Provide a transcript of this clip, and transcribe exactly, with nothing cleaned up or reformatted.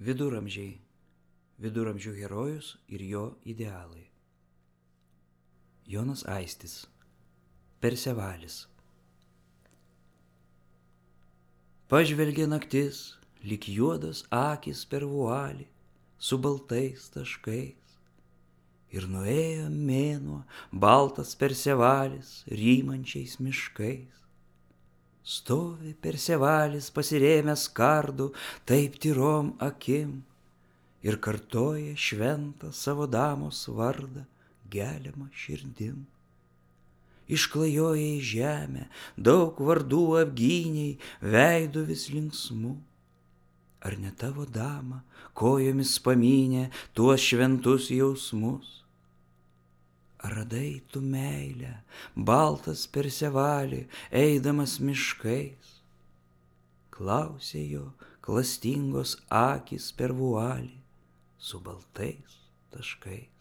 Viduramžiai. Viduramžių herojus ir jo idealai. Jonas Aistis. Persevalis. Pažvelgė naktis, lyg juodas akis per vualį, su baltais taškais. Ir nuėjo mėnuo, baltas Persevalis, rymančiais miškais. Stovi Persevalis pasirėmęs kardu, taip tyrom akim, ir kartoja šventą savo damos vardą, geliamą širdim. Išklajoja į žemę, daug vardų apgyniai, veidu vis linksmu. Ar ne tavo dama kojomis pamynė tuos šventus jausmus? Ar radai tu meilę, baltas Persevalį, eidamas miškais? Klausė jo klastingos akys per vualį su baltais taškais.